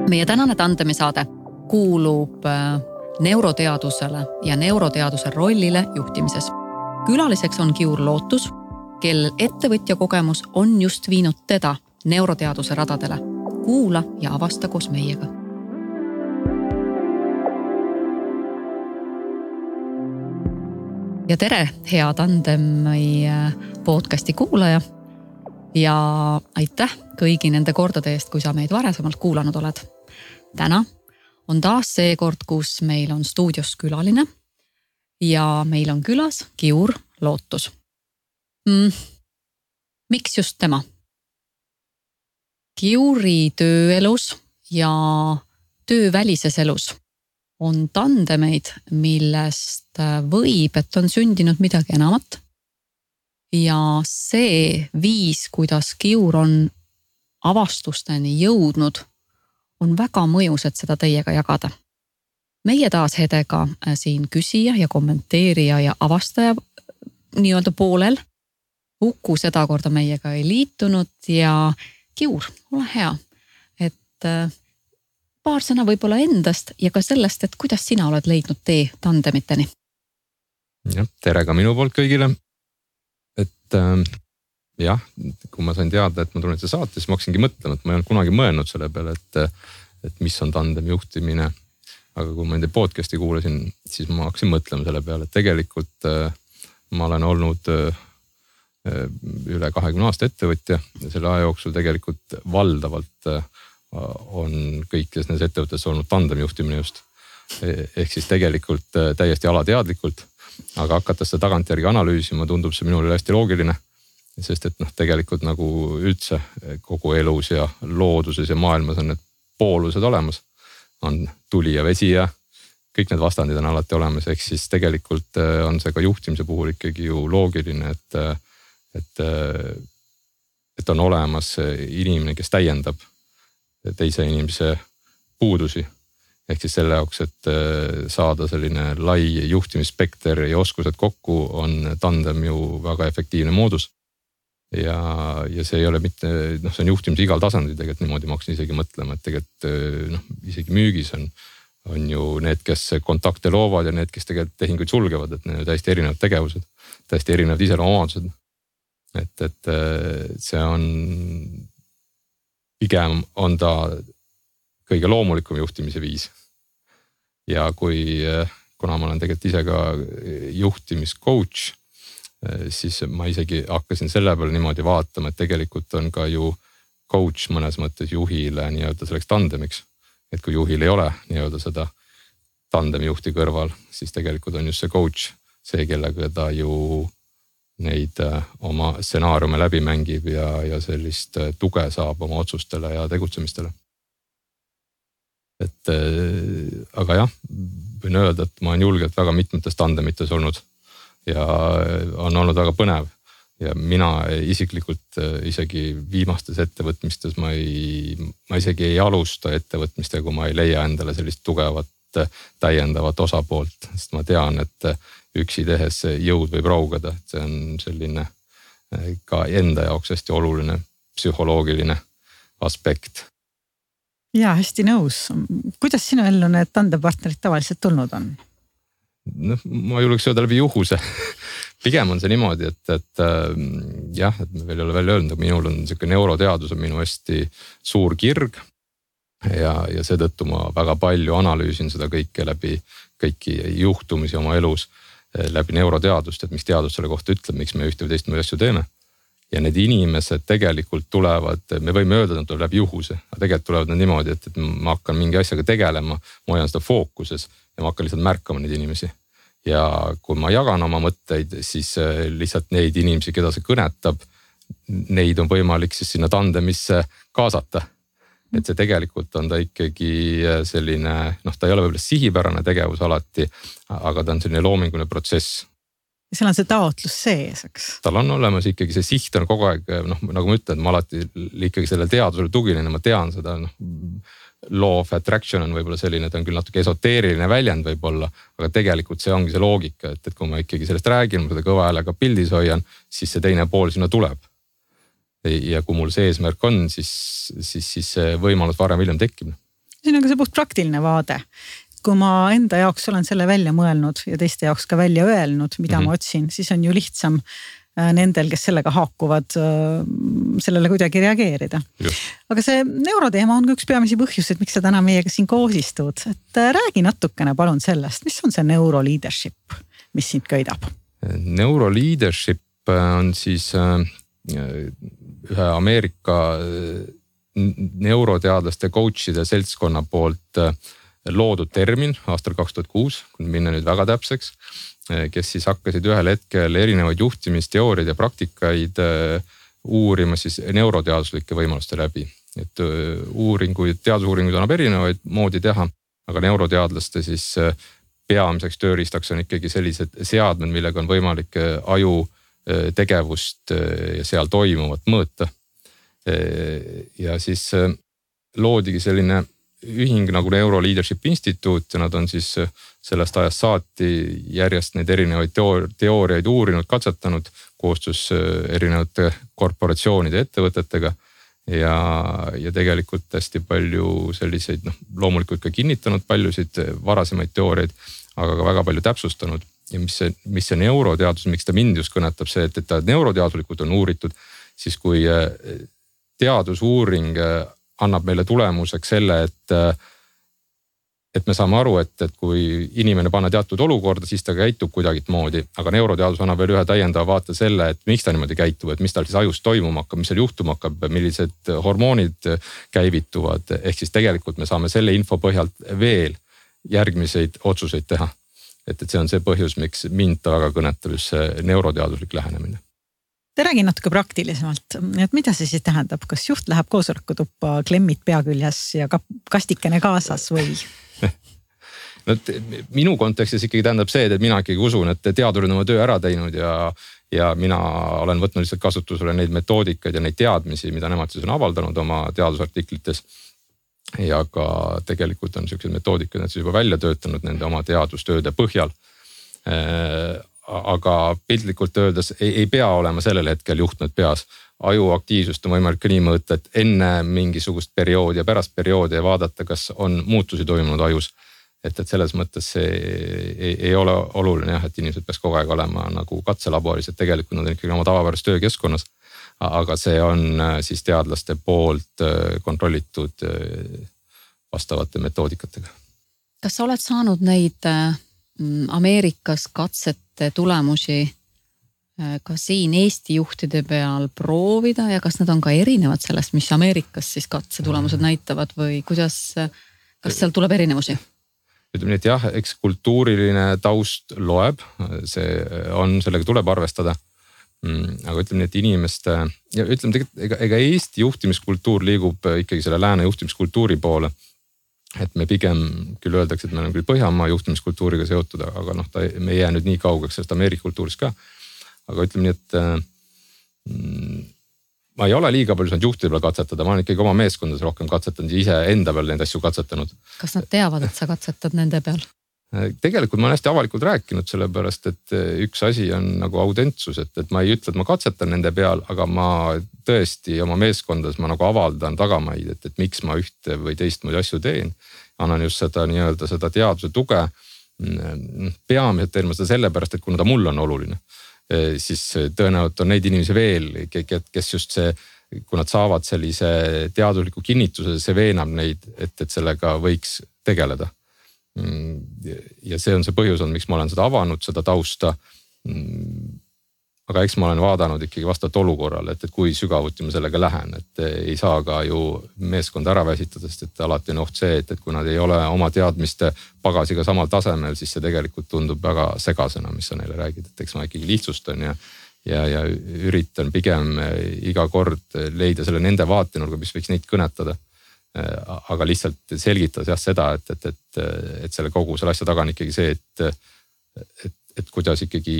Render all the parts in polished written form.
Meie tänane tandemisaade kuulub neuroteadusele ja neuroteaduse rollile juhtimises. Külaliseks on Kiur Lootus, kel ettevõtja kogemus on just viinud teda neuroteaduse radadele. Kuula ja avasta koos meiega. Ja tere, hea Tandemi podcasti kuulaja ja aitäh kõigi nende kordade eest, kui sa meid varasemalt kuulanud oled. Täna on taas see kord, kus meil on stuudios külaline ja meil on külas Kiur Lootus. Miks just tema? Kiuri tööelus ja töövälises elus on tandemeid, millest võib, et on sündinud midagi enamat. Ja see viis, kuidas Kiur on avastusteni jõudnud, on väga mõjus, et seda teiega jagada. Meie taas Hedega siin küsija ja kommenteerija ja avastaja nii-öelda poolel. Uku seda korda meiega ei liitunud ja Kiur, ole hea, et paar sõna võib-olla endast ja ka sellest, et kuidas sina oled leidnud tee tandemiteni. Ja, tere ka minu poolt kõigile. Et jah, kui ma sain teada, et ma tulen seda saate, siis ma hakkasingi mõtlema, et ma ei olnud kunagi mõelnud selle peale, et mis on tandemi juhtimine. Aga kui ma enda podcasti kuulasin, siis ma hakkasin mõtlema selle peale, et tegelikult ma olen olnud üle 20 aasta ettevõtja ja selle aja jooksul tegelikult valdavalt on kõikides nendes ettevõttes olnud tandemi juhtimine just. Ehk siis tegelikult täiesti alateadlikult, aga hakates seda tagantjärgi analüüsima, tundub see minule hästi loogiline, sest et tegelikult nagu üldse kogu elus ja looduses ja maailmas on need poolused olemas. On tuli ja vesi ja kõik need vastandid on alati olemas, ehk siis tegelikult on see ka juhtimise puhul ikkagi ju loogiline, et on olemas inimene, kes täiendab teise inimese puudusi. Ehk siis selle jaoks, et saada selline lai juhtimisspekter ja oskused kokku, on tandem ju väga efektiivne moodus. Ja see ei ole mitte, see on juhtimise igal tasandil tegelikult niimoodi, ma hakkasin isegi mõtlema, et tegelikult isegi müügis on ju need, kes kontakte loovad ja need, kes tegelikult tehinguid sulgevad, et need on täiesti erinevad tegevused, täiesti erinevad iseloomuomadused. Et see on, pigem on ta kõige loomulikum juhtimise viis. Ja kuna ma olen tegelikult ise ka juhtimiscoach, siis ma isegi hakkasin selle peale niimoodi vaatama, et tegelikult on ka ju coach mõnes mõttes juhile nii-öelda selleks tandemiks. Et kui juhil ei ole nii-öelda seda tandemi juhti kõrval, siis tegelikult on just see coach see, kellega ta ju neid oma stsenaariume läbi mängib ja sellist tuge saab oma otsustele ja tegutsemistele. Aga jah, võin öelda, et ma olen julgelt väga mitmetes tandemites olnud ja on olnud väga põnev. Ja mina isiklikult isegi viimastes ettevõtmistes ma isegi ei alusta ettevõtmistega, kui ma ei leia endale sellist tugevat täiendavat osapoolt, sest ma tean, et üksi tehes jõud võib raugada. See on selline ka enda jaoks hästi oluline psühholoogiline aspekt. Ja, hästi nõus. Kuidas sinu ellu need tandepartnerid tavaliselt tulnud on? Ma julgeks öelda läbi juhuse. Pigem on see niimoodi, et jah, et me veel ei ole välja öelnud, aga minul on selline neuroteadus on minu hästi suur kirg ja seetõttu ma väga palju analüüsin seda kõike läbi kõiki juhtumisi oma elus läbi neuroteadust, et mis teadus selle kohta ütleb, miks me ühte või teist asju teeme. Ja need inimesed tegelikult tulevad, me võime öelda, et nad tulevad läbi juhuse, aga tegelikult tulevad nad niimoodi, et ma hakkan mingi asjaga tegelema, ma hoian seda fookuses ja ma hakkan lihtsalt märkama neid inimesi. Ja kui ma jagan oma mõtteid, siis lihtsalt neid inimesi, keda see kõnetab, neid on võimalik siis sinna tandemisse kaasata. Et see tegelikult on ta ikkagi selline, ta ei ole võib-olla sihipärane tegevus alati, aga ta on selline loominguline protsess. Ja seal on see taotlus sees, eks? Tal on olemas ikkagi see siht on kogu aeg, nagu ma ütlen, ma alati ikkagi selle teadusele tuginen, ma tean seda, law of attraction on võib-olla selline, ta on küll natuke esoteeriline väljend võib-olla, aga tegelikult see ongi see loogika, et kui ma ikkagi sellest räägin, ma seda kõva häälega pildis hoian, siis see teine pool sinna tuleb. Ja kui mul see eesmärk on, siis see võimalus varem hiljem tekib. siin on ka see puht praktiline vaade. Kui ma enda jaoks olen selle välja mõelnud ja teiste jaoks ka välja öelnud, mida ma otsin, siis on ju lihtsam nendel, kes sellega haakuvad, sellele kuidagi reageerida. Aga see neuroteema on ka üks peamisi põhjused, miks sa täna meiega siin koos istud. Et räägi natukene palun sellest, mis on see neuroleadership, mis sind köidab? Neuroleadership on siis ühe Ameerika neuroteadlaste coachide seltskonna poolt loodud termin aastal 2006, kui minna nüüd väga täpseks, kes siis hakkasid ühel hetkel erinevaid juhtimisteooriaid ja praktikaid uurima siis neuroteaduslike võimaluste läbi. Et teadusuuringuid annab erinevaid moodi teha, aga neuroteadlaste siis peamiseks tööriistaks on ikkagi sellised seadmed, millega on võimalik aju tegevust ja seal toimuvat mõõta. Ja siis loodigi selline ühing nagu Neuroleadership Instituut ja nad on siis sellest ajast saati järjest neid erinevaid teooriaid uurinud, katsetanud koostöös erinevate korporatsioonide ettevõtetega ja tegelikult hästi palju selliseid, loomulikult ka kinnitanud paljusid varasemaid teooriaid, aga ka väga palju täpsustanud. Ja mis see neuroteadus, miks ta mind just kõnetab see, et ta neuroteaduslikult on uuritud, siis kui teadusuuring annab meile tulemuseks selle, et me saame aru, et kui inimene panna teatud olukorda, siis ta käitub kuidagit moodi, aga neuroteadus annab veel ühe täiendava vaate selle, et miks ta niimoodi käitub, et mis tal siis ajus toimuma hakkab, mis seal juhtuma hakkab, millised hormoonid käivituvad. Ehk siis tegelikult me saame selle info põhjalt veel järgmiseid otsuseid teha. Et see on see põhjus, miks mind ta väga kõnetab just see neuroteaduslik lähenemine. Te räägi natuke praktilisemalt, et mida see siis tähendab, kas juht läheb koosolekutuppa, klemmid pea küljes ja kastikene kaasas või? No, minu kontekstis ikkagi tähendab see, et mina ikkagi usun, et teadurid on oma töö ära teinud ja mina olen võtnud lihtsalt kasutusele neid metoodikaid ja neid teadmisi, mida nemad siis on avaldanud oma teadusartiklites. Ja ka tegelikult on sellised metoodikad, nad siis juba välja töötanud nende oma teadustööde põhjal. Aga piltlikult öeldes ei pea olema sellel hetkel juhtmed peas. Aju aktiivsust on võimalik ka nii mõõta, et enne mingisugust perioodi ja pärast perioodi ja vaadata, kas on muutusi toimunud ajus. Et selles mõttes see ei ole oluline, et inimesed peaks kogu aeg olema nagu katselaboris, et tegelikult nad on ikkagi oma tavapäras töökeskkonnas. Aga see on siis teadlaste poolt kontrollitud vastavate metoodikatega. Kas sa oled saanud neid Ameerikas katsete tulemusi ka siin Eesti juhtide peal proovida ja kas nad on ka erinevad sellest, mis Ameerikas siis katse tulemused näitavad või kas seal tuleb erinevusi? Ütleme nii, et jah, eks kultuuriline taust loeb, sellega tuleb arvestada. Aga ütleme nii, et inimeste ja ütleme tegelikult, ega Eesti juhtimiskultuur liigub ikkagi selle lääne juhtimiskultuuri poole. Et me pigem küll öeldakse, et me oleme küll Põhjamaa juhtimiskultuuriga seotud, aga me ei jää nüüd nii kaugeks sellest Ameerika kultuurist ka. Aga ütleme nii, et ma ei ole liiga palju saanud juhtide peal katsetada, ma olen ikkagi oma meeskondades rohkem katsetanud ja ise enda peal neid asju katsetanud. Kas nad teavad, et sa katsetad nende peal? Tegelikult ma olen hästi avalikult rääkinud sellepärast, et üks asi on nagu autentsus, et ma ei ütle, et ma katsetan nende peal, aga ma tõesti oma meeskondades ma nagu avaldan tagamaid, et miks ma ühte või teistmoodi asju teen. Annan just seda teaduse tuge. Peamiselt teen ma seda sellepärast, et kuna ta mul on oluline, siis tõenäoliselt on neid inimesi veel, kes just see, kui nad saavad sellise teadusliku kinnituse, see veenab neid, et sellega võiks tegeleda. Ja see on see põhjus on, miks ma olen seda avanud, seda tausta. Aga eks ma olen vaadanud ikkagi vastavalt olukorrale, et kui sügavuti ma sellega lähen, et ei saa ka ju meeskonda ära väsitada, sest et alati on oht see, et kui nad ei ole oma teadmiste pagasiga samal tasemel, siis see tegelikult tundub väga segasena, mis sa neile räägid, et eks ma ikkagi lihtsustan ja üritan pigem iga kord leida selle nende vaatenurga, mis võiks neid kõnetada. Aga lihtsalt selgitada seda, et selle kogu selle asja taga on ikkagi see, et kuidas ikkagi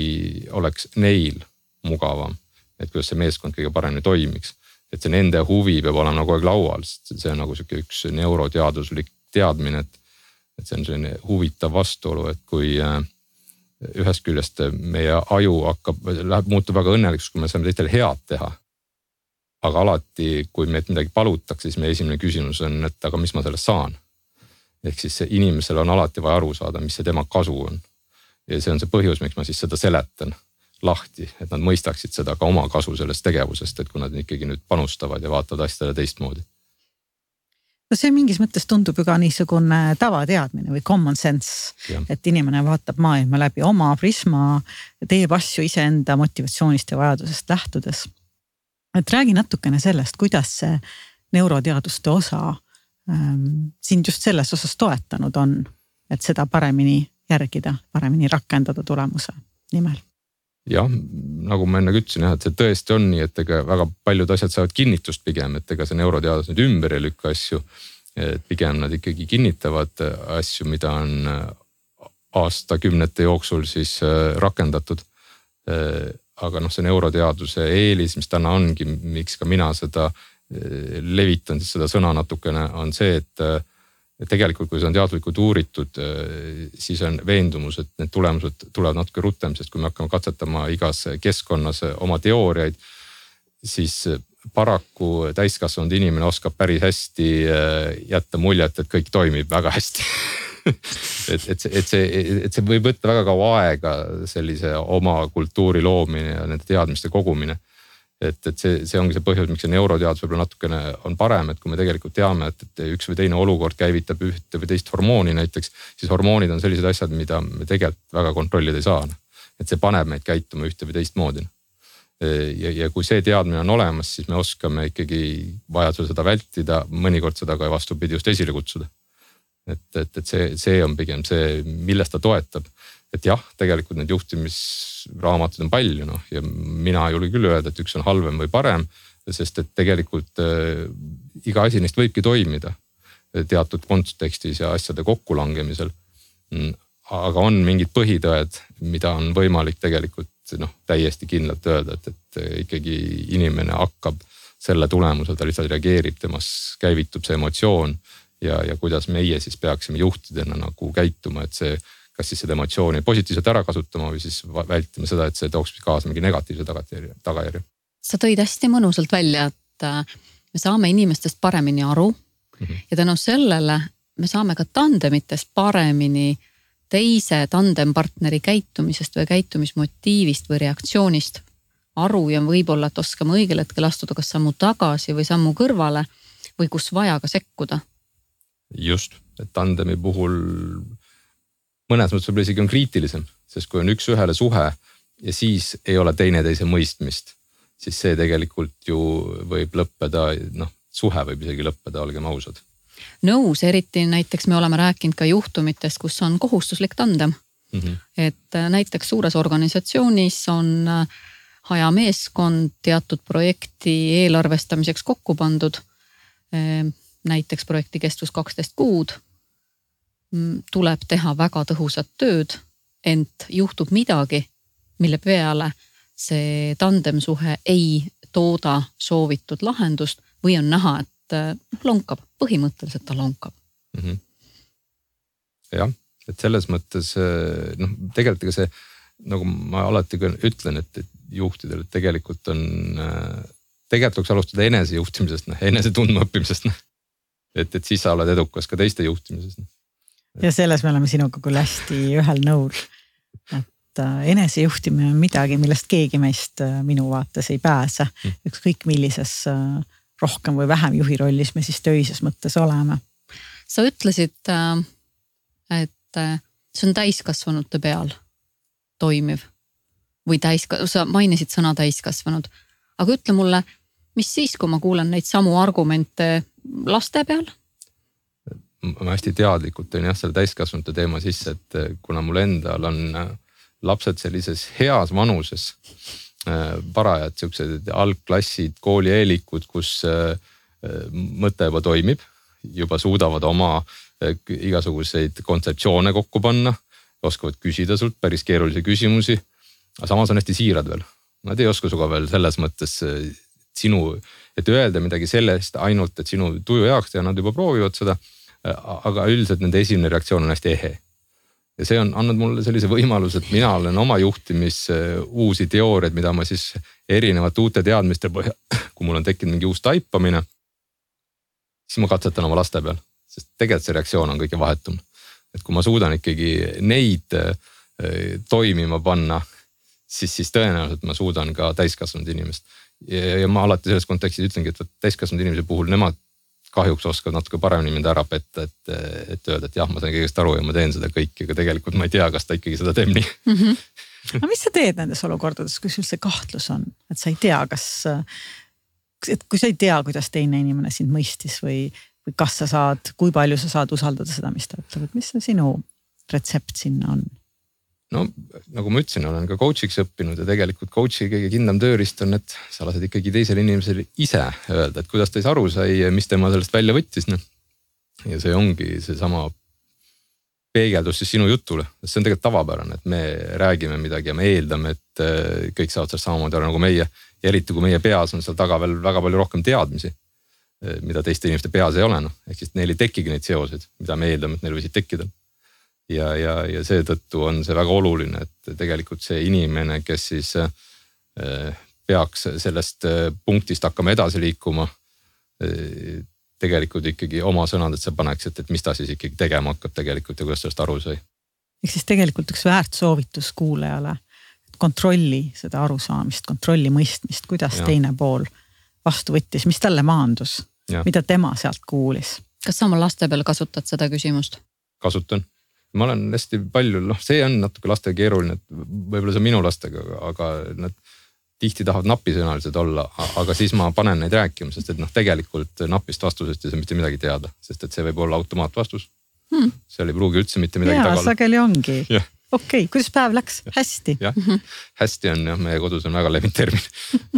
oleks neil mugavam, et kuidas see meeskond kõige paremini toimiks. Et see nende huvi peab olema nagu laual, sest see on nagu üks neuroteaduslik teadmine, et see on selline huvitav vastuolu, et kui ühest küljest meie aju muutub väga õnnelikuks, kui me saame teistele head teha. Aga alati, kui meilt midagi palutakse, siis meie esimene küsimus on, et aga mis ma sellest saan? ehk siis inimesel on alati vaja aru saada, mis see tema kasu on. Ja see on see põhjus, miks ma siis seda seletan lahti, et nad mõistaksid seda ka oma kasu sellest tegevusest, et kui nad ikkagi nüüd panustavad ja vaatavad asjadele teistmoodi. No see mingis mõttes tundub ju ka niisugune tavateadmine või common sense, et inimene vaatab maailma läbi oma prisma, teeb asju iseenda motivatsioonist ja vajadusest lähtudes. Et räägi natukene sellest, kuidas see neuroteaduste osa sind just selles osas toetanud on, et seda paremini järgida, paremini rakendada tulemuse nimel. Jah, nagu ma enne ütlesin, et see tõesti on nii, et ega väga paljud asjad saavad kinnitust pigem, et ega see neuroteadus nüüd ümber ei lükka asju, et pigem nad ikkagi kinnitavad asju, mida on aastakümnete jooksul siis rakendatud. Aga see neuroteaduse eelis, mis täna ongi, miks ka mina seda levitan, siis seda sõna natukene on see, et tegelikult kui see on teadlikult uuritud, siis on veendumus, et need tulemused tulevad natuke rutem, sest kui me hakkame katsetama igas keskkonnas oma teooriaid, siis paraku täiskasvanud inimene oskab päris hästi jätta muljet, et kõik toimib väga hästi. et see võib võtta väga kaua aega sellise oma kultuuri loomine ja nende teadmiste kogumine. Et see ongi see põhjus, miks see neuroteadus võib-olla natukene on parem, et kui me tegelikult teame, et üks või teine olukord käivitab ühte või teist hormooni näiteks, siis hormoonid on sellised asjad, mida me tegelikult väga kontrollida ei saa. Et see paneb meid käituma ühte või teist moodi. Ja kui see teadmine on olemas, siis me oskame ikkagi vajadusel seda vältida, mõnikord seda ka vastupidi just esile kutsuda. Et see on pigem see, millest ta toetab. Et jah, tegelikult need juhtimisraamatud on palju, ja mina ei julge küll öelda, et üks on halvem või parem, sest et tegelikult iga asi neist võibki toimida teatud kontekstis ja asjade kokkulangemisel. Aga on mingid põhitõed, mida on võimalik tegelikult täiesti kindlalt öelda, et ikkagi inimene hakkab selle tulemusel, ta lihtsalt reageerib, temas käivitub see emotsioon ja kuidas meie siis peaksime juhtidena nagu käituma, et see kas siis seda emotsiooni positiivselt ära kasutama või siis vältima seda, et see tooks kaasa mingi negatiivse tagajärje. Sa tõid hästi mõnusalt välja, et me saame inimestest paremini aru ja tänu sellele me saame ka tandemitest paremini teise tandempartneri käitumisest või käitumismotiivist või reaktsioonist aru ja võib-olla, et oskame õigel hetkel astuda kas sammu tagasi või sammu kõrvale või kus vaja ka sekkuda. Just, et tandemi puhul mõnes mõttes võib-olla isegi on kriitilisem, sest kui on üks ühele suhe ja siis ei ole teineteise mõistmist, siis see tegelikult ju võib lõppeda, suhe võib isegi lõppeda, olgem ausad. Nõus, eriti näiteks me oleme rääkinud ka juhtumitest, kus on kohustuslik tandem. Et näiteks suures organisatsioonis on hajameeskond teatud projekti eelarvestamiseks kokku pandud, näiteks projekti kestvus 12 kuud, tuleb teha väga tõhusat tööd, ent juhtub midagi, mille peale see tandemsuhe ei tooda soovitud lahendust või on näha, et lonkab, põhimõtteliselt ta lonkab. Jah, et selles mõttes, tegelikult see, nagu ma alati ütlen, et juhtidel tegelikult võiks alustada enesejuhtimisest, enese tundma õppimisest, et siis sa oled edukas ka teiste juhtimisest. Ja selles me oleme sinuga küll hästi ühel nõul, et enesejuhtimine on midagi, millest keegi meist minu vaates ei pääse. Ükskõik millises rohkem või vähem juhi rollis me siis töises mõttes oleme. Sa ütlesid, et see on täiskasvanute peal toimiv või sa mainisid sõna täiskasvanud. Aga ütle mulle, mis siis, kui ma kuulen neid samu argumente laste peal? Ma hästi teadlikult tõin selle täiskasvanute teema sisse, et kuna mul endal on lapsed sellises heas vanuses, parajad siuksed algklassid, koolieelikud, kus mõte juba toimib, juba suudavad oma igasuguseid kontseptsioone kokku panna, oskavad küsida sult päris keerulisi küsimusi, aga samas on hästi siirad veel. Nad ei oska suga veel selles mõttes et öelda midagi sellest ainult, et sinu tuju jaoks ja nad juba proovivad seda, aga üldiselt nende esimene reaktsioon on hästi ehe. Ja see on andnud mulle sellise võimaluse, et mina olen oma juhtimis uusi teooriaid, mida ma siis erinevate uute teadmiste põhjal, kui mul on tekkinud mingi uus taipamine, siis ma katsetan oma laste peal. sest tegelikult see reaktsioon on kõige vahetum. Et kui ma suudan ikkagi neid toimima panna, siis tõenäoliselt ma suudan ka täiskasvanud inimest. Ja ma alati selles kontekstis ütlengi, et täiskasvanud inimese puhul nemad kahjuks oskavad natuke paremini mind ära petta, et öelda, et jah, ma sain kõigest aru ja ma teen seda kõike, aga tegelikult ma ei tea, kas ta ikkagi seda teeb nii. Aga mis sa teed nendes olukordades, kui sul see kahtlus on, et sa ei tea, kui sa ei tea, kuidas teine inimene sind mõistis või kas sa saad, kui palju sa saad usaldada seda, mis ta ütleb, et mis see sinu retsept sinna on? No nagu ma ütlesin, olen ka coach'iks õppinud ja tegelikult coach'i kõige kindlam tööriist on, et sa lased ikkagi teisele inimesele ise öelda, et kuidas ta aru sai ja mis tema sellest välja võttis. Ja see ongi see sama peegeldus siis sinu jutule. See on tegelikult tavapärane, et me räägime midagi ja me eeldame, et kõik saavad sellest samamoodi aru nagu meie. Ja eriti kui meie peas on seal taga veel väga palju rohkem teadmisi, mida teiste inimeste peas ei ole. Ehk siis neil ei tekigi neid seoseid, mida me eeldame, et neil võisid tekkida. Ja seetõttu on see väga oluline, et tegelikult see inimene, kes siis peaks sellest punktist hakkama edasi liikuma, tegelikult ikkagi oma sõnad, et sa paneksid, et mis ta siis ikkagi tegema hakkab tegelikult ja kuidas sellest aru sai. Ehk siis tegelikult üks väärt soovitus kuulajale, kontrolli seda arusaamist, kontrolli mõistmist, kuidas teine pool vastu võttis, mis talle maandus, mida tema sealt kuulis. Kas sa oma laste peal kasutad seda küsimust? Kasutan. Ma olen hästi palju, see on natuke lastega keeruline, et võib-olla see on minu lastega, aga nad tihti tahavad napisõnalised olla, aga siis ma panen neid rääkima, sest et tegelikult napist vastusest ei saa mitte midagi teada, sest et see võib olla automaatvastus. Seal ei pruugi üldse mitte midagi taga olla. Sageli ongi. Okei, kuidas päev läks? Hästi. Hästi on, meie kodus on väga levinud termin,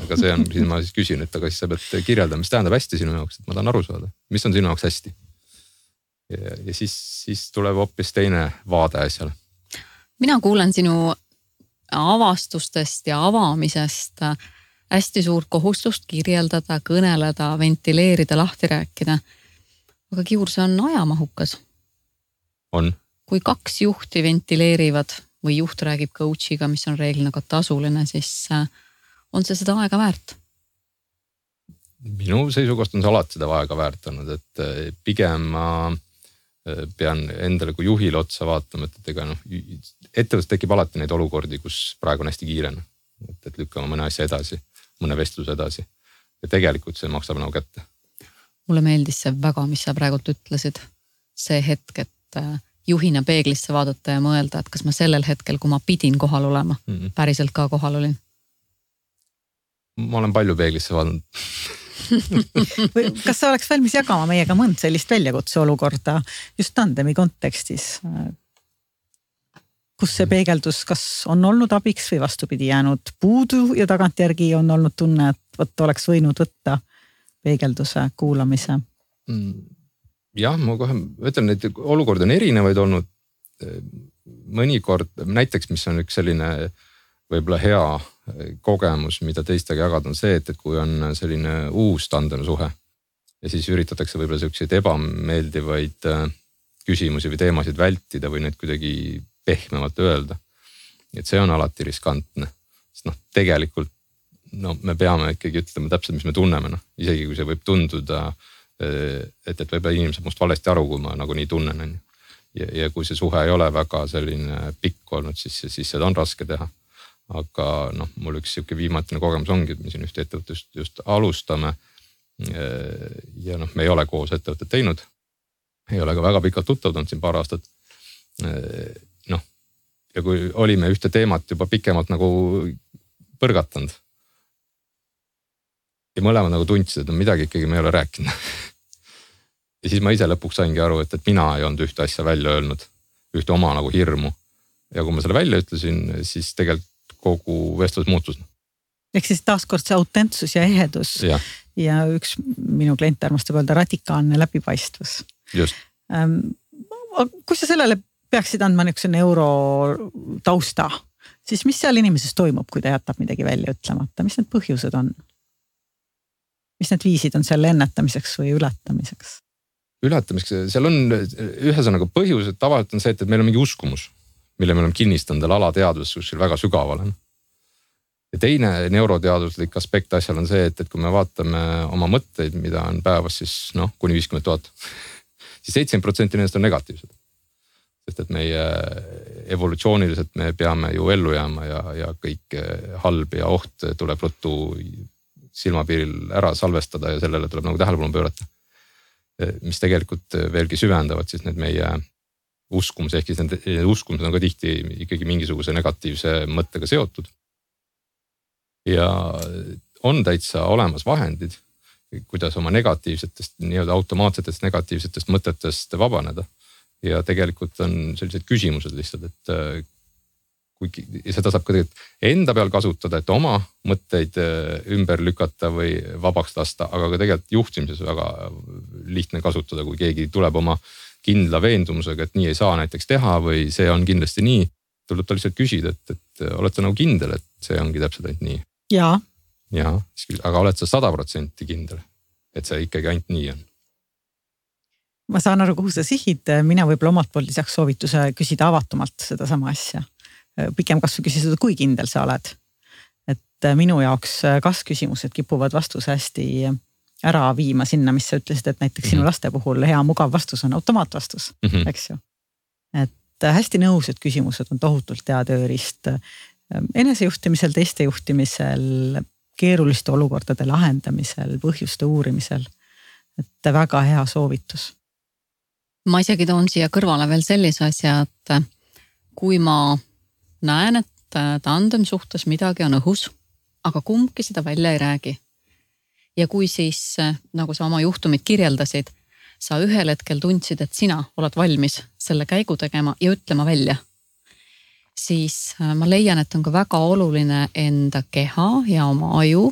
aga see on, siis ma siis küsin, et aga siis sa pead kirjeldama, mis tähendab hästi sinu jaoks, et ma tahan aru saada, mis on sinu jaoks hästi. Ja siis tuleb hoopis teine vaade asjale. Mina kuulen sinu avastustest ja avamisest hästi suurt kohustust kirjeldada, kõneleda, ventileerida, lahti rääkida. Aga Kiur, see on ajamahukas. On. Kui 2 juhti ventileerivad või juht räägib coach'iga, mis on reeglina ka tasuline, siis on see seda aega väärt? Minu seisukohast on see alati seda aega väärt olnud, et pigem ma pean endale kui juhile otsa vaatama, et ega ettevõttes tekib alati neid olukordi, kus praegu on hästi kiirene, et lükkama mõne asja edasi, mõne vestluse edasi ja tegelikult see maksab nagu kätte. Mulle meeldis see väga, mis sa praegult ütlesid, see hetk, et juhina peeglisse vaadata ja mõelda, et kas ma sellel hetkel, kui ma pidin kohal olema, päriselt ka kohal olin. Ma olen palju peeglisse vaadanud. Kas sa oleks valmis jagama meiega mõnd sellist väljakutse olukorda just tandemi kontekstis? Kus see peegeldus, kas on olnud abiks või vastupidi jäänud puudu ja tagantjärgi on olnud tunne, et oleks võinud võtta peegelduse kuulamise? Jah, ma kohe ütlen, et olukord on erinevaid olnud. Mõnikord, näiteks mis on üks selline võib-olla hea kogemus, mida teistega jagada on see, et kui on selline uus tandemsuhe ja siis üritatakse võib-olla selliseid ebameeldivaid küsimusi või teemasid vältida või neid kuidagi pehmemalt öelda. Et see on alati riskantne, sest tegelikult me peame ikkagi ütlema täpselt, mis me tunneme, isegi kui see võib tunduda, et võib-olla inimesed must valesti aru, kui ma nagu nii tunnen. Ja kui see suhe ei ole väga selline pikk olnud, siis seda on raske teha. Aga mul üks siuke viimatine kogemus ongi, et me siin ühte ettevõttest just alustame ja me ei ole koos ettevõtted teinud. Ei ole ka väga pikalt tuttavad siin paar aastat. Ja kui olime ühte teemat juba pikemalt nagu põrgatanud ja mõlemad nagu tundsid, et midagi ikkagi me ei ole rääkinud. Ja siis ma ise lõpuks saingi aru, et mina ei olnud ühte asja välja öelnud, ühte oma nagu hirmu. Ja kui ma selle välja ütlesin, siis tegelikult kogu vestlus muutus. Ehk siis taaskord see autentsus ja ehedus ja üks minu klient armastab öelda radikaalne läbipaistvus. Just. Kui sa sellele peaksid andma niisuguse neurotausta, siis mis seal inimeses toimub, kui ta jätab midagi välja ütlemata? Mis need põhjused on? Mis need viisid on selle ennetamiseks või ületamiseks? Ületamiseks, seal on ühesõnaga põhjus, et tavaliselt on see, et meil on mingi uskumus, mille me oleme kinnistanud alateadvuses kuskil väga sügaval. Ja teine neuroteaduslik aspekt asjal on see, et kui me vaatame oma mõtteid, mida on päevas siis kuni 50 000, siis 70% nendest on negatiivsed. Sest et meie evolutsiooniliselt me peame ju ellu jääma ja kõik halb ja oht tuleb ruttu silmapiiril ära salvestada ja sellele tuleb nagu tähelepanu pöörata. Mis tegelikult veelgi süvendavad siis need meie uskumus, ehk siis need uskumused on ka tihti ikkagi mingisuguse negatiivse mõttega seotud. Ja on täitsa olemas vahendid, kuidas oma negatiivsetest, nii-öelda automaatsetest negatiivsetest mõtetest vabaneda. Ja tegelikult on sellised küsimused lihtsalt, et kui seda saab ka tegelikult enda peal kasutada, et oma mõtteid ümber lükata või vabaks lasta, aga ka tegelikult juhtimises väga lihtne kasutada, kui keegi tuleb oma kindla veendumusega, et nii ei saa näiteks teha või see on kindlasti nii, tuleb ta lihtsalt küsida, et oled sa nagu kindel, et see ongi täpselt ainult nii. Jaa. Jaa, aga oled sa 100% kindel, et see ikkagi ainult nii on? Ma saan aru, kuhu sa sihid, mina võib-olla omalt poolt lisaks soovituse küsida avatumalt seda sama asja. Pikem kas või küsida, kui kindel sa oled. Et minu jaoks kas-küsimused kipuvad vastuse hästi ära viima sinna, mis sa ütlesid, et näiteks sinu laste puhul hea mugav vastus on automaatvastus, eks ju. Et hästi nõus, et küsimused on tohutult hea tööriist enesejuhtimisel, teiste juhtimisel, keeruliste olukordade lahendamisel, põhjuste uurimisel. Et väga hea soovitus. Ma isegi toon siia kõrvale veel sellise asja, et kui ma näen, et tandem suhtes midagi on õhus, aga kumbki seda välja ei räägi. Ja kui siis, nagu sa oma juhtumit kirjeldasid, sa ühel hetkel tundsid, et sina oled valmis selle käigu tegema ja ütlema välja, siis ma leian, et on ka väga oluline enda keha ja oma aju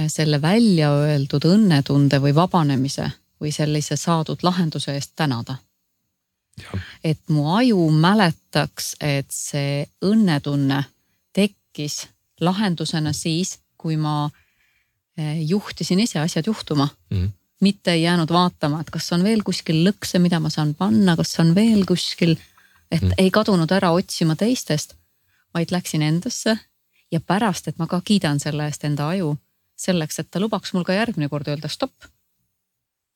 selle välja öeldud õnnetunde või vabanemise või sellise saadud lahenduse eest tänada. Ja. Et mu aju mäletaks, et see õnnetunne tekkis lahendusena siis, kui ma juhtisin ise asjad juhtuma. Mitte ei jäänud vaatama, et kas on veel kuskil lõkse, mida ma saan panna, kas on veel kuskil, et ei kadunud ära otsima teistest, vaid läksin endasse ja pärast, et ma ka kiidan selle eest enda aju, selleks, et ta lubaks mul ka järgmine kord öelda stopp.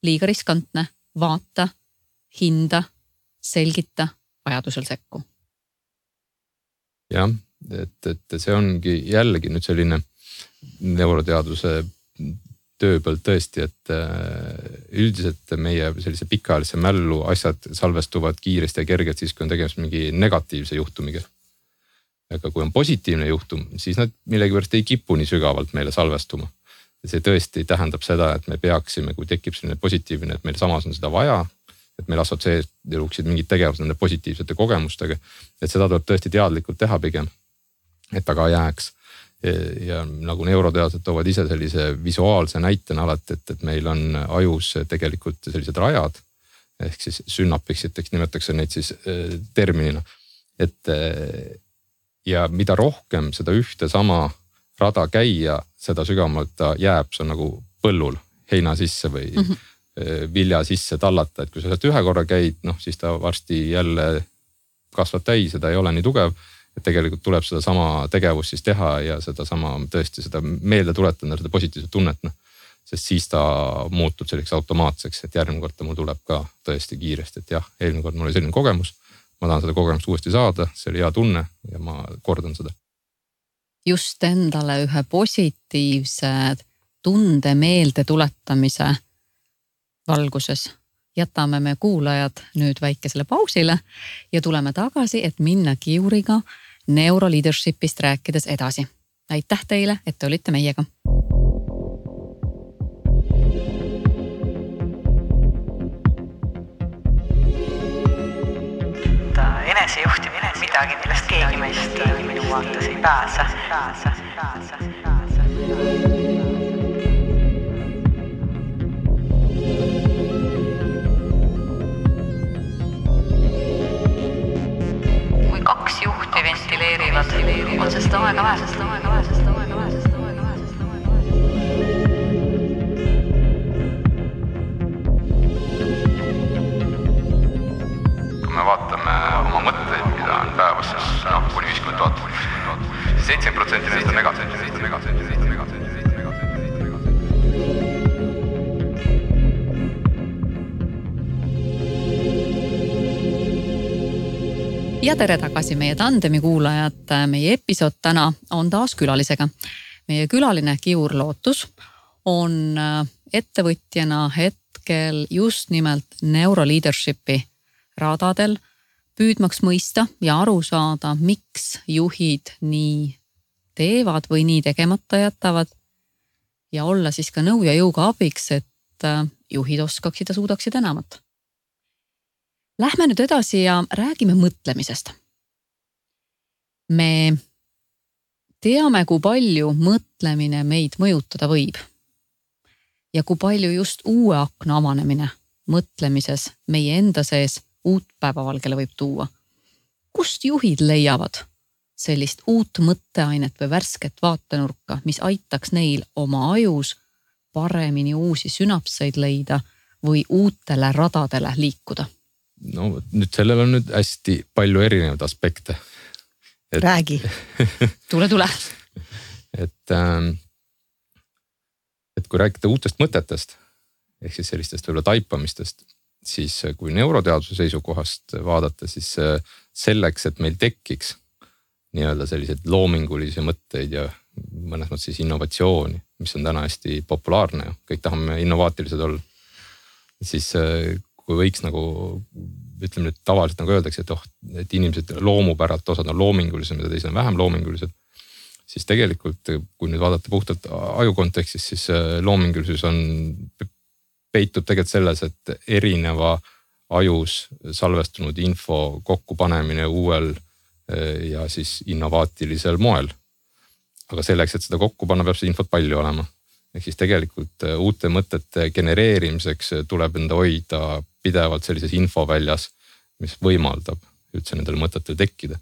Liiga riskantne, vaata, hinda, selgita, vajadusel sekku. Jah, et see ongi jällegi nüüd selline neuroteaduse tööpõld tõesti, et üldiselt meie sellise pikaajalise mällu asjad salvestuvad kiiresti ja kergelt siis, kui on tegemist mingi negatiivse juhtumiga. Aga kui on positiivne juhtum, siis nad millegipärast ei kipu nii sügavalt meile salvestuma. See tõesti tähendab seda, et me peaksime, kui tekib selline positiivne, et meil samas on seda vaja, et meil assotsieeruksid mingid tegevused nende positiivsete kogemustega, et seda tuleb tõesti teadlikult teha pigem, et ta ka jääks. Ja nagu neuroteadlased toovad ise sellise visuaalse näitena alati, et meil on ajus tegelikult sellised rajad, ehk siis sünnapiksid, nimetakse neid siis terminina. Et ja mida rohkem seda ühte sama rada käia, seda sügavamalt ta jääb, see on nagu põllul heina sisse või vilja sisse tallata, et kui sa sealt ühe korra käid, siis ta varsti jälle kasvab täis ja ta ei ole nii tugev. Et tegelikult tuleb seda sama tegevust siis teha ja seda sama tõesti seda meelde tuletada, seda positiivset tunnet, sest siis ta muutub selliseks automaatseks, et järgmine kord ta mul tuleb ka tõesti kiiresti, et jah, eelmine kord mul oli selline kogemus, ma tahan seda kogemust uuesti saada, see oli hea tunne ja ma kordan seda. Just endale ühe positiivse tunde meelde tuletamise valguses jätame me kuulajad nüüd väikesele pausile ja tuleme tagasi, et minna kiuriga neuroleadershipist rääkides edasi. Aitäh teile, et te olite meiega. Enesejuhtimine midagi, millest keegi meist minu vaates ei pääse. Kaks juhti ventileerivad, on see seda aega vähe. Kui me vaatame oma mõtteid, mida on päevas, siis kuni 50 000, 70% neist on negatiivsed. Ja tere tagasi meie tandemi kuulajad. Meie episood täna on taas külalisega. Meie külaline Kiur Lootus on ettevõtjana hetkel just nimelt neuroleadershipi radadel, püüdmaks mõista ja aru saada, miks juhid nii teevad või nii tegemata jätavad ja olla siis ka nõu ja jõuga abiks, et juhid oskaksid ja suudaksid enamat. Lähme nüüd edasi ja räägime mõtlemisest. Me teame, kui palju mõtlemine meid mõjutada võib. Ja kui palju just uue akna avanemine mõtlemises meie enda sees uut päevavalgele võib tuua. Kust juhid leiavad sellist uut mõtteainet või värsket vaatenurka, mis aitaks neil oma ajus paremini uusi sünapseid leida või uutele radadele liikuda? No nüüd sellel on nüüd hästi palju erinevaid aspekte. Räägi. Tule. Et kui rääkida uutest mõtetest, ehk siis sellistest võib-olla taipamistest, siis kui neuroteaduse seisukohast vaadata, siis selleks, et meil tekiks nii-öelda selliseid loomingulisi mõtteid ja mõnes mõttes siis innovatsiooni, mis on täna hästi populaarne ja kõik tahame innovaatilised olla, siis kui võiks nagu, ütleme nüüd tavaliselt nagu öeldakse, et inimesed loomupäralt osad on loomingulised, mida teised on vähem loomingulised, siis tegelikult, kui nüüd vaadata puhtalt aju kontekstis, siis loomingulisus peitub tegelikult selles, et erineva ajus salvestunud info kokkupanemine uuel ja siis innovaatilisel moel. Aga selleks, et seda kokku panna, peab see infot palju olema. Ehk siis tegelikult uute mõtete genereerimiseks tuleb enda hoida pidevalt sellises infoväljas, mis võimaldab üldse nendel mõtetel tekkida.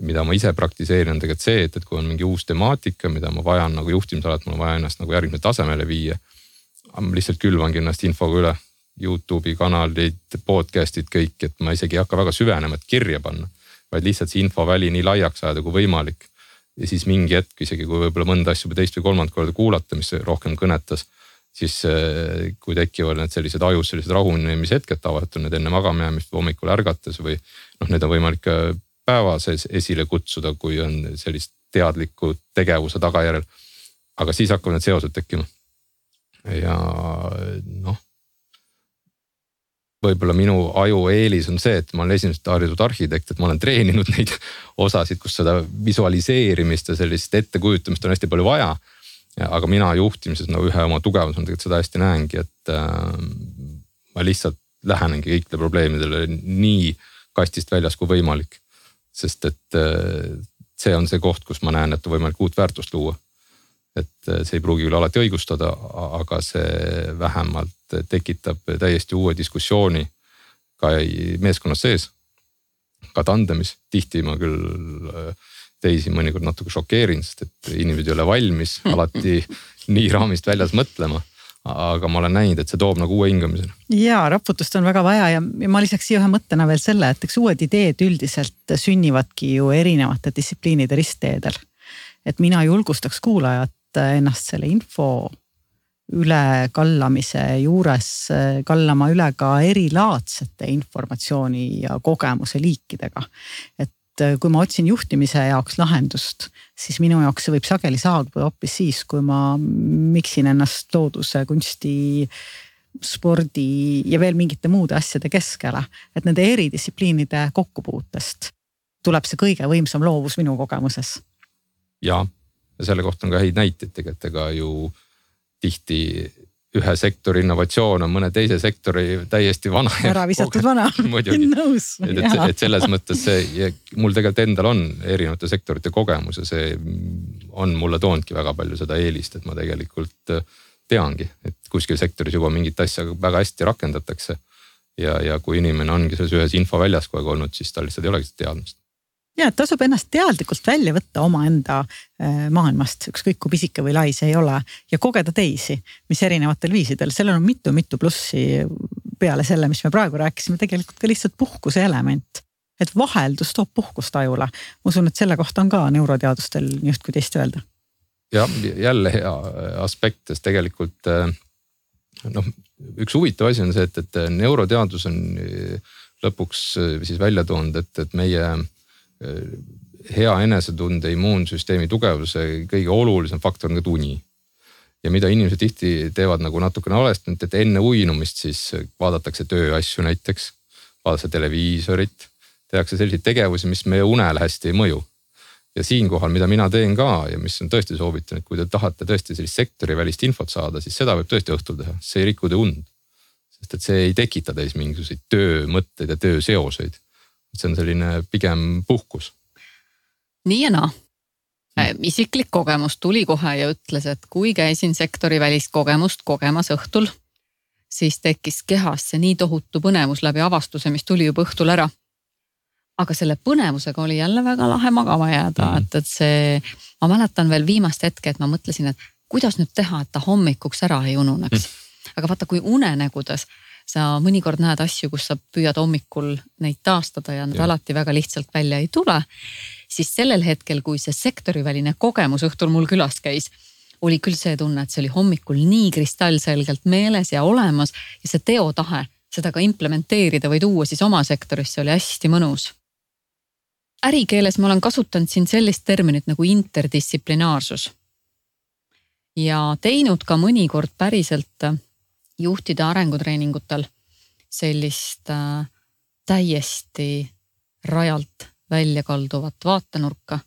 Mida ma ise praktiseerin on tegelikult see, et kui on mingi uus temaatika, mida ma vajan nagu juhtimisalat, ma vajan ennast nagu järgmisele tasemele viia. Ma lihtsalt külvangi ennast infoga üle, YouTube'i kanalid, podcastid, kõik, et ma isegi ei hakka väga süvenema, et kirja panna, vaid lihtsalt see infoväli nii laiaks ajada kui võimalik. Ja siis mingi hetk, isegi kui võib-olla mõnda asju teist või kolmand korda kuulata, mis rohkem kõnetas, siis kui tekivad need sellised ajus, sellised rahunemishetked tavaliselt on need enne magamajäämist või hommikul ärgates või need on võimalik päeva sees esile kutsuda, kui on sellist teadliku tegevuse tagajärjel. Aga siis hakkavad need seosed tekkima. Ja võib-olla minu aju eelis on see, et ma olen esimesest haritud arhitekt, et ma olen treeninud neid osasid, kus seda visualiseerimist ja sellist ettekujutamist on hästi palju vaja. Aga mina juhtimises ühe oma tugevus on tegelikult seda hästi näengi, et ma lihtsalt lähenengi kõikide probleemidele nii kastist väljas kui võimalik. Sest et see on see koht, kus ma näen, et on võimalik uut väärtust luua. Et see ei pruugi küll alati õigustada, aga see vähemalt tekitab täiesti uue diskussiooni ka meeskonnas sees, ka tandemis. Tihti ma küll teisi mõnikord natuke šokeerin, sest et inimesed ei ole valmis alati nii raamist väljas mõtlema, aga ma olen näinud, et see toob nagu uue hingamisena. Jaa, raputust on väga vaja ja ma lisaks siia ühe mõttena veel selle, et eks uued ideed üldiselt sünnivadki ju erinevate distsipliinide ristteedel. Et mina julgustaks kuulajat ennast selle info üle kallamise juures kallama üle ka erilaadsete informatsiooni ja kogemuse liikidega. Et kui ma otsin juhtimise jaoks lahendust, siis minu jaoks see võib sageli saabuda hoopis siis, kui ma miksin ennast looduse, kunsti, spordi ja veel mingite muude asjade keskele. Et nende eridistsipliinide kokkupuutest tuleb see kõige võimsam loovus minu kogemuses. Ja selle kohta on ka häid näiteid tegelikult, ega ju tihti ühe sektori innovatsioon on mõne teise sektori täiesti vana. Ära visatud vana. Nõus. Et selles mõttes see, mul tegelikult endal on erinevate sektorite kogemus ja see on mulle toonudki väga palju seda eelist, et ma tegelikult teangi, et kuskil sektoris juba mingit asja väga hästi rakendatakse. Ja kui inimene ongi selles ühes infoväljas kogu aeg olnud, siis tal lihtsalt ei olegi teadmist. Ja, et tasub ennast teadlikult välja võtta oma enda maailmast, ükskõik kui pisike või lai see ei ole, ja kogeda teisi, mis erinevatel viisidel. Sellel on mitu plussi peale selle, mis me praegu rääkisime, tegelikult ka lihtsalt puhkuse element. Et vaheldus toob puhkust ajule. Ma usun, et selle kohta on ka neuroteadustel just kui teist öelda. Ja jälle hea aspekt, sest tegelikult üks huvitav asi on see, et neuroteadus on lõpuks siis välja toonud, et meie hea enesetunde immuunsüsteemi tugevuse kõige olulisem faktor on ka uni. Ja mida inimesed tihti teevad nagu natukene valesti, et enne uinumist siis vaadatakse tööasju näiteks, vaadatakse televiisorit, tehakse selliseid tegevusi, mis meie unele hästi ei mõju. Ja siinkohal, mida mina teen ka ja mis on tõesti soovitan, et kui te tahate tõesti sellist sektori välist infot saada, siis seda võib tõesti õhtul teha, see ei riku te und. Sest et see ei tekita teis mingisuguseid töömõtteid ja tööseoseid. See on selline pigem puhkus. Nii ja naa. Isiklik kogemus tuli kohe ja ütles, et kui käisin sektori välist kogemust kogemas õhtul, siis tekkis kehasse nii tohutu põnevus läbi avastuse, mis tuli juba õhtul ära. Aga selle põnevusega oli jälle väga lahe magama jääda, et see, ma mäletan veel viimast hetke, et ma mõtlesin, et kuidas nüüd teha, et ta hommikuks ära ei ununeks. Aga vaata, kui unenägudes sa mõnikord näed asju, kus sa püüad hommikul neid taastada ja nad alati väga lihtsalt välja ei tule, siis sellel hetkel, kui see sektoriväline kogemus õhtul mul külas käis, oli küll see tunne, et see oli hommikul nii kristallselgelt meeles ja olemas ja see teotahe seda ka implementeerida või tuua siis oma sektorisse oli hästi mõnus. Ärikeeles ma olen kasutanud siin sellist terminit nagu interdistsiplinaarsus ja teinud ka mõnikord päriselt juhtide arengutreeningutel sellist täiesti rajalt välja kalduvat vaatenurka.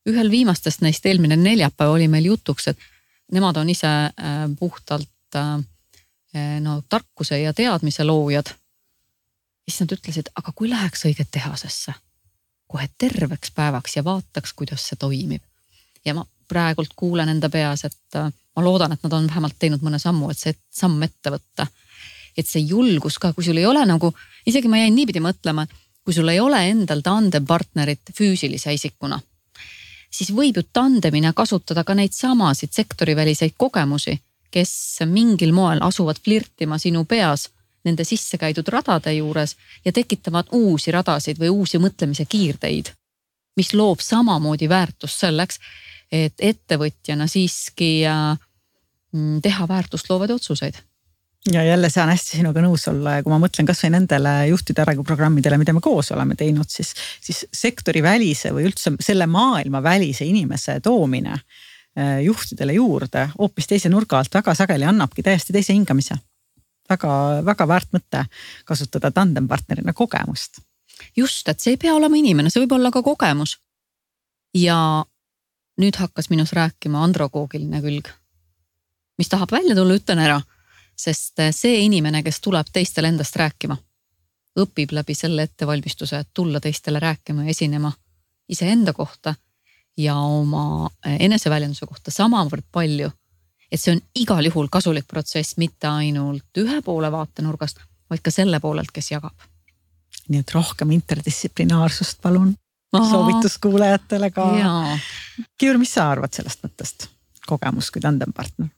Ühel viimastest neist eelmine neljapäev oli meil jutuks, et nemad on ise puhtalt tarkuse ja teadmise loojad. Siis nad ütlesid, aga kui läheks õige tehasesse, kohe terveks päevaks ja vaataks, kuidas see toimib. Ja ma praegult kuulen enda peas, et ma loodan, et nad on vähemalt teinud mõne sammu, et see samm ette võtta. Et see julgus ka, kui sul ei ole nagu, isegi ma jäin niipidi mõtlema, kui sul ei ole endal tandempartnerit füüsilise isikuna, siis võib ju tandemina kasutada ka neid samasid sektoriväliseid kogemusi, kes mingil moel asuvad flirtima sinu peas nende sisse käidud radade juures ja tekitavad uusi radasid või uusi mõtlemise kiirteid, mis loob samamoodi väärtust selleks, et ettevõtjana siiski teha väärtust loovad otsuseid. Ja jälle saan hästi sinuga nõus olla ja kui ma mõtlen kas või nendele juhtide arenguprogrammidele, mida me koos oleme teinud, siis sektori välise või üldse selle maailma välise inimese toomine juhtidele juurde hoopis teise nurga alt väga sageli annabki täiesti teise hingamise. Väga väärt mõte kasutada tandempartnerina kogemust. Just, et see ei pea olema inimene, see võib olla ka kogemus. Ja nüüd hakkas minus rääkima androkoogiline külg, mis tahab välja tulla, ütlen ära. Sest see inimene, kes tuleb teistele endast rääkima, õpib läbi selle ettevalmistuse, et tulla teistele rääkima ja esinema iseenda kohta ja oma eneseväljenduse kohta samavõrd palju, et see on igal juhul kasulik protsess mitte ainult ühe poole vaatenurgast, vaid ka selle poolelt, kes jagab. Nii et rohkem interdistsiplinaarsust palun soovituskuulajatele ka. Kiur, mis sa arvad sellest mõttest? Kogemus kui tandempartner?